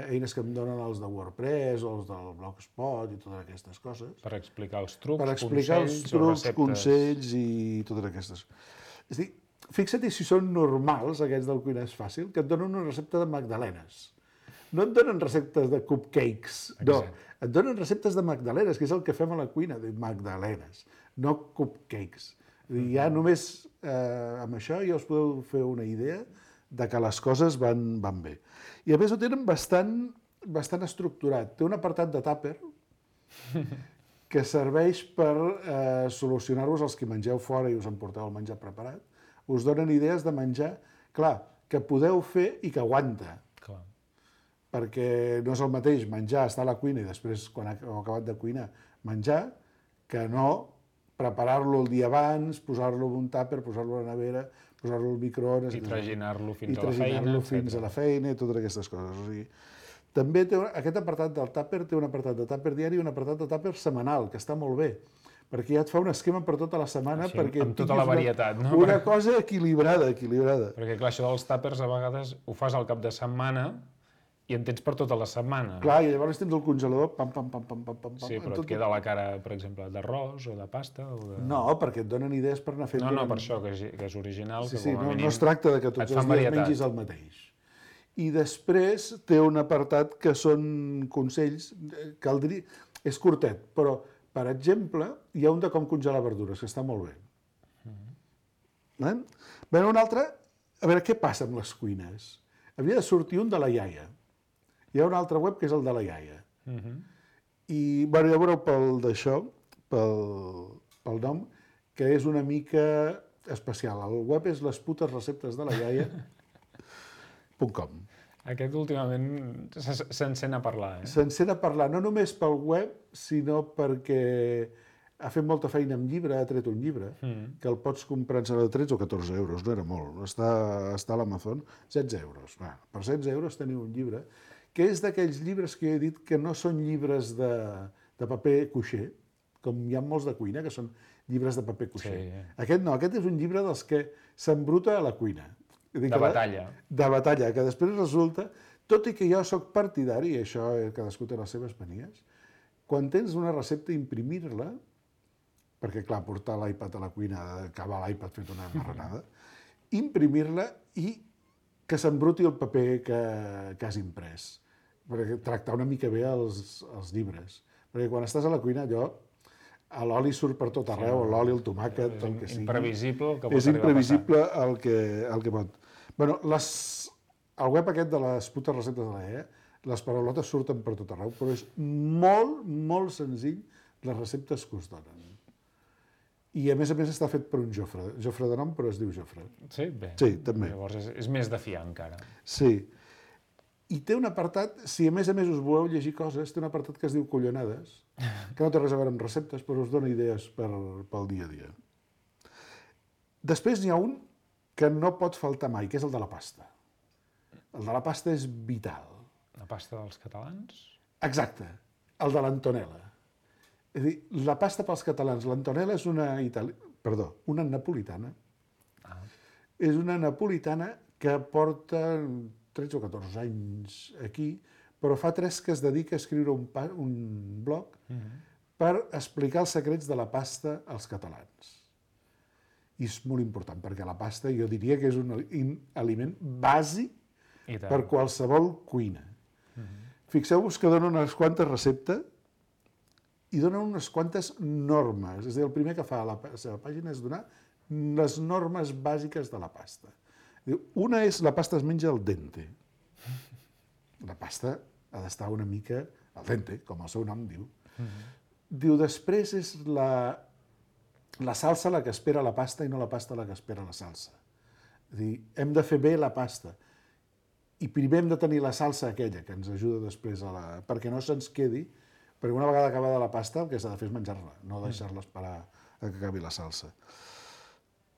eines que em donen els de WordPress o els del Blogspot i totes aquestes coses. Per explicar els trucs, Per explicar els consells o trucs, receptes. consells i totes aquestes. És a dir, fixa't si són normals, aquests del Cuinar és fàcil, que et donen una recepta de magdalenes. No et donen receptes de cupcakes, no. Et donen receptes de magdalenes, que és el que fem a la cuina, de magdalenes, no cupcakes. Ja només amb això ja us podeu fer una idea de que les coses van bé. I a més ho tenen bastant estructurat. Té un apartat de tàper que serveix per solucionar-vos els que mengeu fora i us emporteu el menjar preparat. Us donen idees de menjar, clar, que podeu fer i que aguanta. Clar. perquè no és el mateix menjar, estar a la cuina i després, quan heu acabat de cuinar, menjar, que no preparar-lo el dia abans, posar-lo en un tàper, posar-lo a la nevera, posar-lo al microones... I traginar-lo fins I a la feina, traginar-lo fins a la feina i totes aquestes coses. O sigui, també aquest apartat del tàper té un apartat de tàper diari i un apartat de tàper setmanal, que està molt bé, perquè ja et fa un esquema per tota la setmana. Així, perquè amb tota la varietat, no? Una cosa equilibrada. Perquè, clar, això dels tàpers a vegades ho fas al cap de setmana i en tens per tota la setmana. Clar, i llavors tens el congelador, pam, pam, pam, pam, pam, pam. Sí, però et queda la cara, per exemple, d'arròs o de pasta o de... No, perquè et donen idees per anar fent... No, per això, que és original, Sí, que sí, com a no, mínim no es tracta de que tots els dies mengis el mateix. I després té un apartat que són consells, caldria... És curtet, però, per exemple, hi ha un de com congelar verdures, que està molt bé. Bé, un altre, a veure, què passa amb les cuines? Havia de sortir un de la iaia. Hi ha un altre web que és el de la iaia. I, bueno, ja veureu pel nom, que és una mica especial. El web és lesputesreceptesdelayaia.com. Aquest últimament s'encén a parlar, eh? S'encén a parlar, no només pel web, sinó perquè ha fet molta feina amb llibre, ha tret un llibre, que el pots comprar en 13 o 14 euros, no era molt. Està a l'Amazon, 16 euros. Per 16 euros teniu un llibre, que és d'aquells llibres que he dit que no són llibres de paper cuixer, com hi ha molts de cuina, que són llibres de paper cuixer. Sí. Aquest no, aquest és un llibre dels que s'embruta a la cuina. De batalla. De batalla, que després resulta, tot i que jo sóc partidari, i això cadascú té les seves manies, quan tens una recepta, imprimir-la, perquè, clar, portar l'iPad a la cuina, acabar l'iPad fet una marranada, imprimir-la i que s'embruti el paper que has imprès, perquè tractar una mica bé els llibres. Perquè quan estàs a la cuina, l'oli surt per tot arreu, l'oli, el tomàquet, el que sigui. És imprevisible el que pot És arribar a passar. imprevisible el que pot. Bueno, el web aquest de les putes receptes de la iaia, les paraulotes surten per tot arreu, però és molt, molt senzill les receptes que us donen. I a més està fet per un Jofre de nom, però es diu Jofre. Sí? Bé. Sí, també. Llavors és més de fiar encara. Sí. I té un apartat, si a més us voleu llegir coses, té un apartat que es diu Collonades, que no té res a veure amb receptes, però us dona idees pel dia a dia. Després n'hi ha un que no pot faltar mai, que és el de la pasta. El de la pasta és vital. La pasta dels catalans? Exacte, el de l'Antonella. És a dir, la pasta pels catalans, l'Antonella és una napolitana. És una napolitana que porta 13 o 14 anys aquí, però fa 3 que es dedica a escriure un blog per explicar els secrets de la pasta als catalans. I és molt important, perquè la pasta jo diria que és un aliment bàsic per qualsevol cuina. Fixeu-vos que donen unes quantes receptes i donen unes quantes normes. És a dir, el primer que fa a la seva pàgina és donar les normes bàsiques de la pasta. Una és la pasta es menja al dente. La pasta ha d'estar una mica al dente, com el seu nom diu. Diu, després és la salsa la que espera la pasta i no la pasta la que espera la salsa. És a dir, hem de fer bé la pasta. I primer hem de tenir la salsa aquella, que ens ajuda després perquè no se'ns quedi, perquè una vegada acabada la pasta el que s'ha de fer és menjar-la, no deixar-la esperar a que acabi la salsa.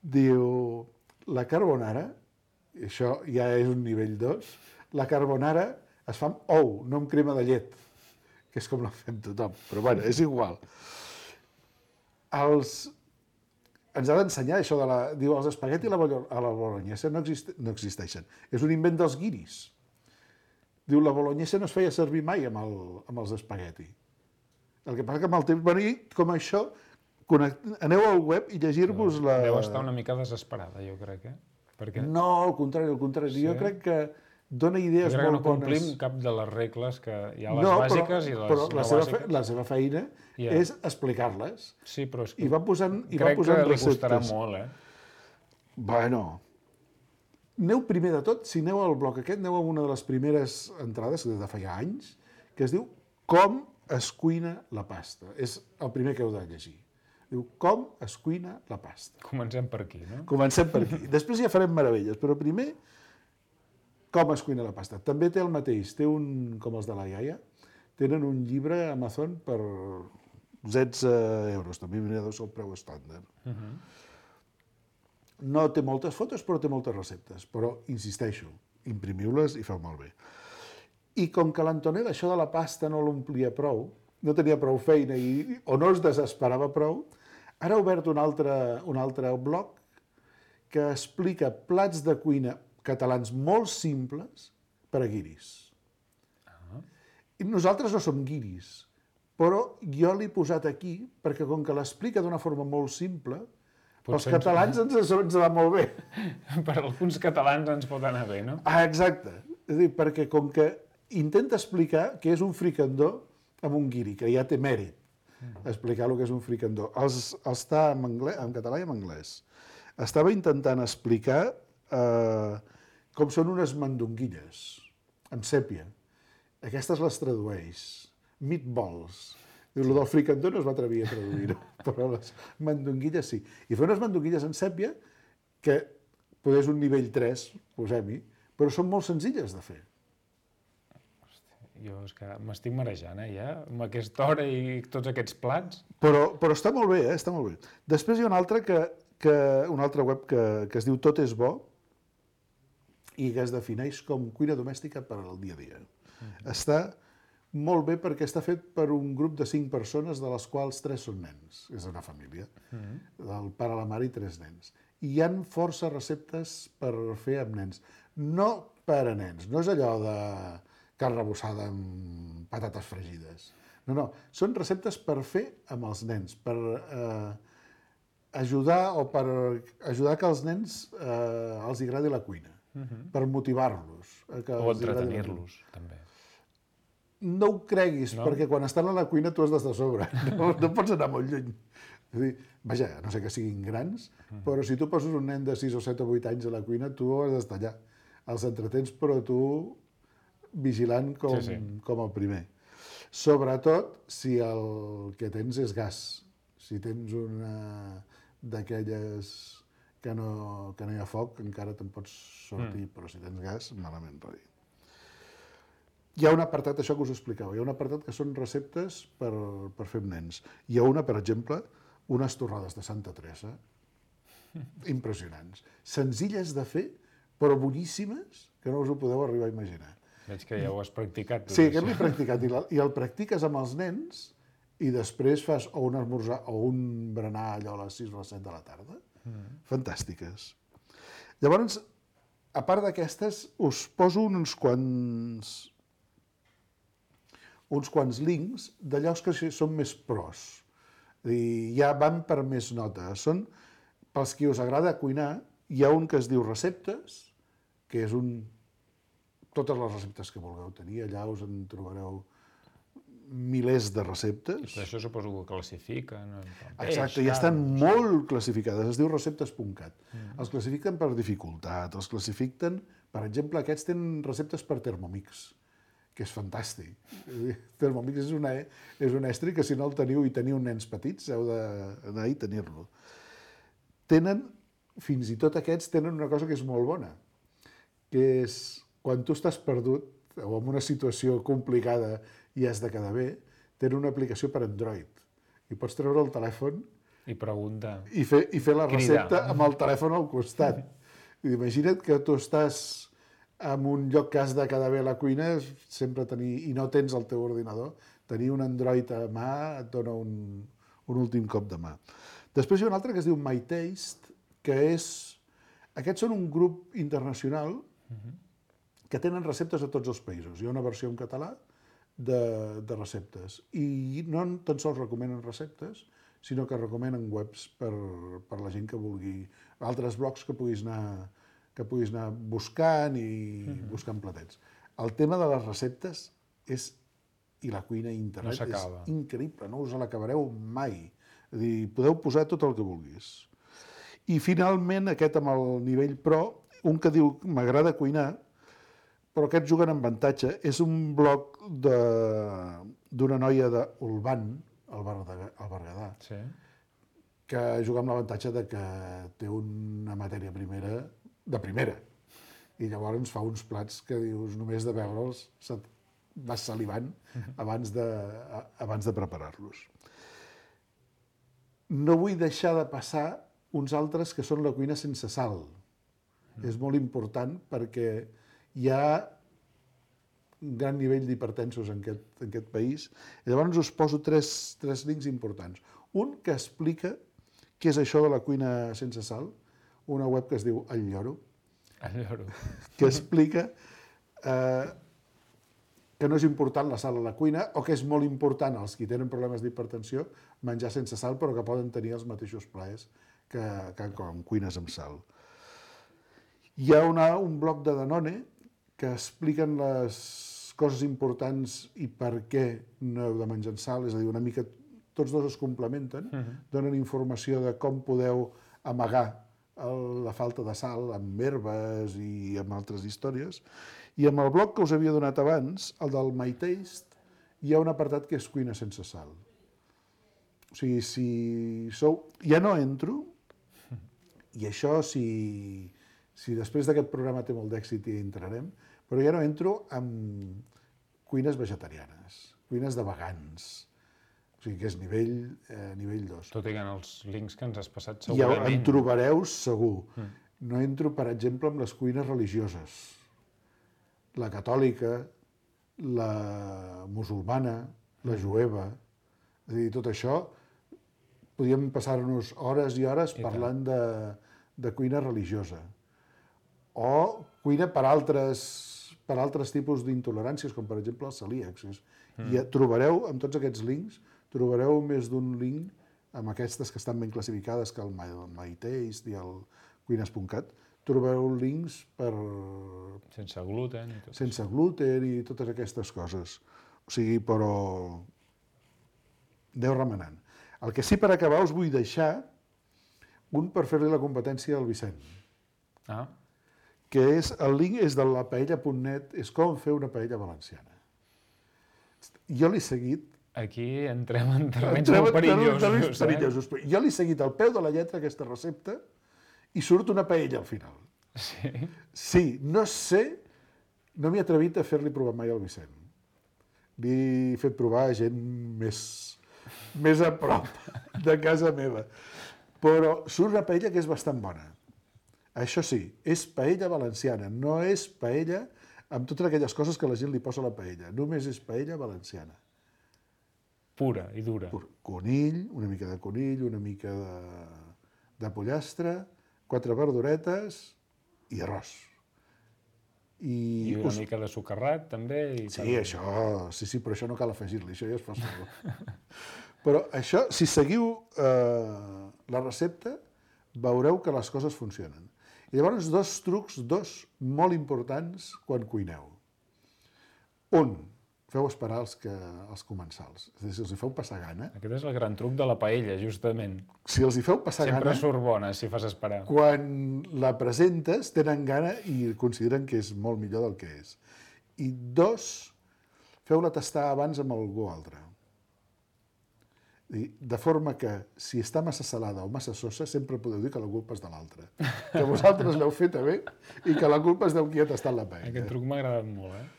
Diu, la carbonara, i això ja és un nivell 2, la carbonara es fa amb ou, no amb crema de llet, que és com la fem tothom, però bueno, és igual. Ens ha d'ensenyar això diu, els espagueti a la bolognesa no existeixen. És un invent dels guiris. Diu, la bolognesa no es feia servir mai amb els espagueti. El que passa que amb el temps venir com això, aneu al web i llegir-vos la... Deu estar una mica desesperada, jo crec, eh? Perquè... No, al contrari. Sí? Jo crec que dona idees molt bones. Jo crec que no complim cap de les regles que hi ha, les bàsiques i les no bàsiques. Però la seva feina és explicar-les. Sí, però és que I va posant crec que li receptes. costarà molt, eh? Bueno, aneu primer de tot, si aneu al bloc aquest, aneu a una de les primeres entrades, des de fa ja anys, que es diu Com es cuina la pasta. És el primer que heu de llegir. Diu, com es cuina la pasta. Comencem per aquí, no? Comencem per aquí. Després ja farem meravelles, però primer com es cuina la pasta. També té el mateix, té un, com els de la iaia, tenen un llibre a Amazon per 16 euros, també deu ser el preu estàndard. No té moltes fotos, però té moltes receptes. Però, insisteixo, imprimiu-les i feu malbé. I com que l'Antonella això de la pasta no l'omplia prou, no tenia prou feina o no es desesperava prou, ara ha obert un altre blog que explica plats de cuina catalans molt simples per a guiris. I nosaltres no som guiris, però jo l'he posat aquí perquè com que l'explica d'una forma molt simple, pels catalans ens va molt bé. Per alguns catalans ens pot anar bé, no? Exacte. És a dir, perquè com que intenta explicar què és un fricandó amb un guiri, que ja té mèrit explicar el que és un fricandó. Està en català i en anglès. Estava intentant explicar com són unes mandonguilles, amb sèpia. Aquestes les tradueix. Meatballs. Diu, el del fricandó no es va atrevir a traduir-ho, però les mandonguilles sí. I fer unes mandonguilles en sèpia que potser és un nivell 3, posem-hi, però són molt senzilles de fer. Jo és que m'estic marejant, ja, amb aquesta hora i tots aquests plats. Però està molt bé, està molt bé. Després hi ha una altra una altra web que es diu Tot és bo i que es defineix com cuina domèstica per al dia a dia. Està molt bé perquè està fet per un grup de 5 persones, de les quals 3 són nens. És una família. El pare, la mare i 3 nens. I hi ha força receptes per fer amb nens. No per a nens, no és allò de carn rebossada amb patates fregides. No. Són receptes per fer amb els nens, per ajudar que als nens els agradi la cuina, per motivar-los. O entretenir-los, també. No ho creguis, perquè quan estan a la cuina tu has d'estar a sobre. No pots anar molt lluny. És a dir, vaja, no sé que siguin grans, però si tu poses un nen de 6 o 7 o 8 anys a la cuina, tu has d'estar allà. Els entretens, però tu vigilant com el primer. Sobretot si el que tens és gas. Si tens una d'aquelles que no hi ha foc, encara te'n pots sortir, però si tens gas, malament rai. Hi ha un apartat, això que us explicava, hi ha un apartat que són receptes per fer amb nens. Hi ha una, per exemple, unes torrades de Santa Teresa, impressionants. Senzilles de fer, però boníssimes, que no us ho podeu arribar a imaginar. Veig que ja ho has practicat. Sí, aquest l'he practicat, i el practiques amb els nens, i després fas o un esmorzar o un berenar allò a les 6 o les 7 de la tarda. Fantàstiques. Llavors, a part d'aquestes, us poso uns quants links d'allò que són més pros. I ja van per més nota. Són, pels qui us agrada cuinar, hi ha un que es diu Receptes, que és totes les receptes que vulgueu tenir. Allà us en trobareu milers de receptes. Per això suposo que classifiquen. Exacte, i estan molt classificades. Es diu receptes.cat. Els classifiquen per dificultat, els classifiquen... Per exemple, aquests tenen receptes per Thermomix, que és fantàstic. Thermomix és un estri que si no el teniu i teniu nens petits, heu d'anar i tenir-lo. Fins i tot aquests tenen una cosa que és molt bona, que és quan tu estàs perdut o en una situació complicada i has de quedar bé, tenen una aplicació per Android. I pots treure el telèfon i preguntar. I fer la recepta amb el telèfon al costat. Imagina't que tu estàs en un lloc que has de quedar bé a la cuina, sempre i no tens el teu ordinador, tenir un Android a mà et dona un últim cop de mà. Després hi ha un altre que es diu MyTaste, que aquests són un grup internacional que tenen receptes a tots els països. Hi ha una versió en català de receptes. I no tan sols recomenen receptes, sinó que recomenen webs per la gent que vulgui, altres blogs que puguis anar buscant i buscant platets. El tema de les receptes i la cuina a internet és increïble, no us l'acabareu mai. És a dir, podeu posar tot el que vulguis. I finalment, aquest amb el nivell pro, un que diu m'agrada cuinar, però aquests juguen amb avantatge. És un blog d'una noia d'Olvan, al Berguedà, que juga amb l'avantatge que té una matèria primera de primera. I llavors fa uns plats que dius, només de veure'ls vas salivant abans de preparar-los. No vull deixar de passar uns altres que són la cuina sense sal. És molt important perquè hi ha un gran nivell d'hipertensos en aquest país. I llavors us poso tres links importants. Un que explica què és això de la cuina sense sal, una web que es diu El Lloro, que explica que no és important la sal a la cuina o que és molt important als qui tenen problemes d'hipertensió menjar sense sal, però que poden tenir els mateixos plaers que com cuines amb sal. Hi ha un bloc de Danone que expliquen les coses importants i per què no heu de menjar sal, és a dir, una mica tots dos es complementen, donen informació de com podeu amagar la falta de sal amb herbes i amb altres històries. I amb el bloc que us havia donat abans, el del My Taste, hi ha un apartat que és cuina sense sal. O sigui, si sou... Ja no entro, i això si després d'aquest programa té molt d'èxit hi entrarem, però ja no entro amb cuines vegetarianes, cuines de vegans. O sigui, que és nivell 2. Tot i que en els links que ens has passat Ja segurament... en trobareu segur. No entro, per exemple, amb les cuines religioses. La catòlica, la musulmana, la jueva. És a dir, tot això, podíem passar-nos hores i hores parlant de cuina religiosa. O cuina per altres tipus d'intoleràncies, com per exemple els celíacs. I trobareu, amb tots aquests links, trobareu més d'un link amb aquestes que estan ben classificades, que el My Taste i el cuines.cat, trobareu links per... Sense gluten i tot això. Sense gluten i totes aquestes coses. O sigui, però... Aneu remenant. El que sí, per acabar, us vull deixar un per fer-li la competència al Vicent. Que és, el link és de la paella.net, és com fer una paella valenciana. Jo l'he seguit... Aquí entrem en terrenys molt perillosos. Jo l'he seguit al peu de la lletra, aquesta recepta, i surt una paella al final. Sí? Sí, no sé, no m'he atrevit a fer-li provar mai al Vicent. Li he fet provar a gent més a prop de casa meva. Però surt una paella que és bastant bona. Això sí, és paella valenciana, no és paella amb totes aquelles coses que la gent li posa a la paella. Només és paella valenciana. Pura i dura. Conill, una mica de conill, una mica de pollastre, 4 verduretes i arròs. I una mica de socarrat, també. Sí, això, sí, però això no cal afegir-li, això ja es fa sol. Però això, si seguiu la recepta, veureu que les coses funcionen. I llavors, dos trucs molt importants quan cuineu. Un, feu esperar els comensals. És a dir, si els hi feu passar gana... Aquest és el gran truc de la paella, justament. Si els hi feu passar gana... Sempre surt bona, si fas esperar. Quan la presentes, tenen gana i consideren que és molt millor del que és. I 2, feu-la tastar abans amb algú altre. De forma que, si està massa salada o massa sosa, sempre podeu dir que la culpa és de l'altre. Que vosaltres l'heu feta bé i que la culpa és del qui ha tastat la paella. Aquest truc m'ha agradat molt,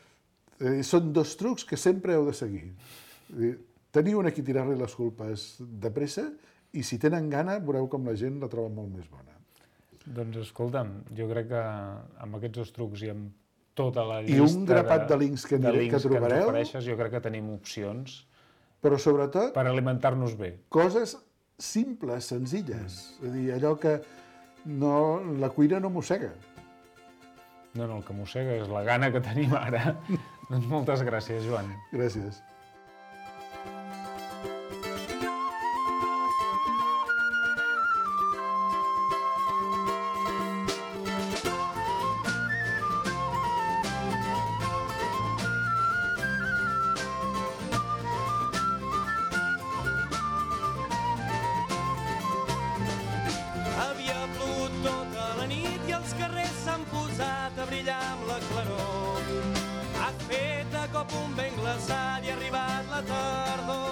Són 2 trucs que sempre heu de seguir. Teniu a qui tirar-li les culpes de pressa i si tenen gana veureu com la gent la troba molt més bona. Doncs escolta'm, jo crec que amb aquests 2 trucs i amb tota la llista... I un grapat de links que trobareu... ens ofereixes, jo crec que tenim opcions... Però sobretot... Per alimentar-nos bé. Coses simples, senzilles. És a dir, allò que la cuina no mossega. No, el que mossega és la gana que tenim ara. Doncs moltes gràcies, Joan. Gràcies. Havia plogut tota la nit i els carrers s'han posat a brillar amb la claror. Ha fet de cop un vent glaçat i ha arribat la tardor.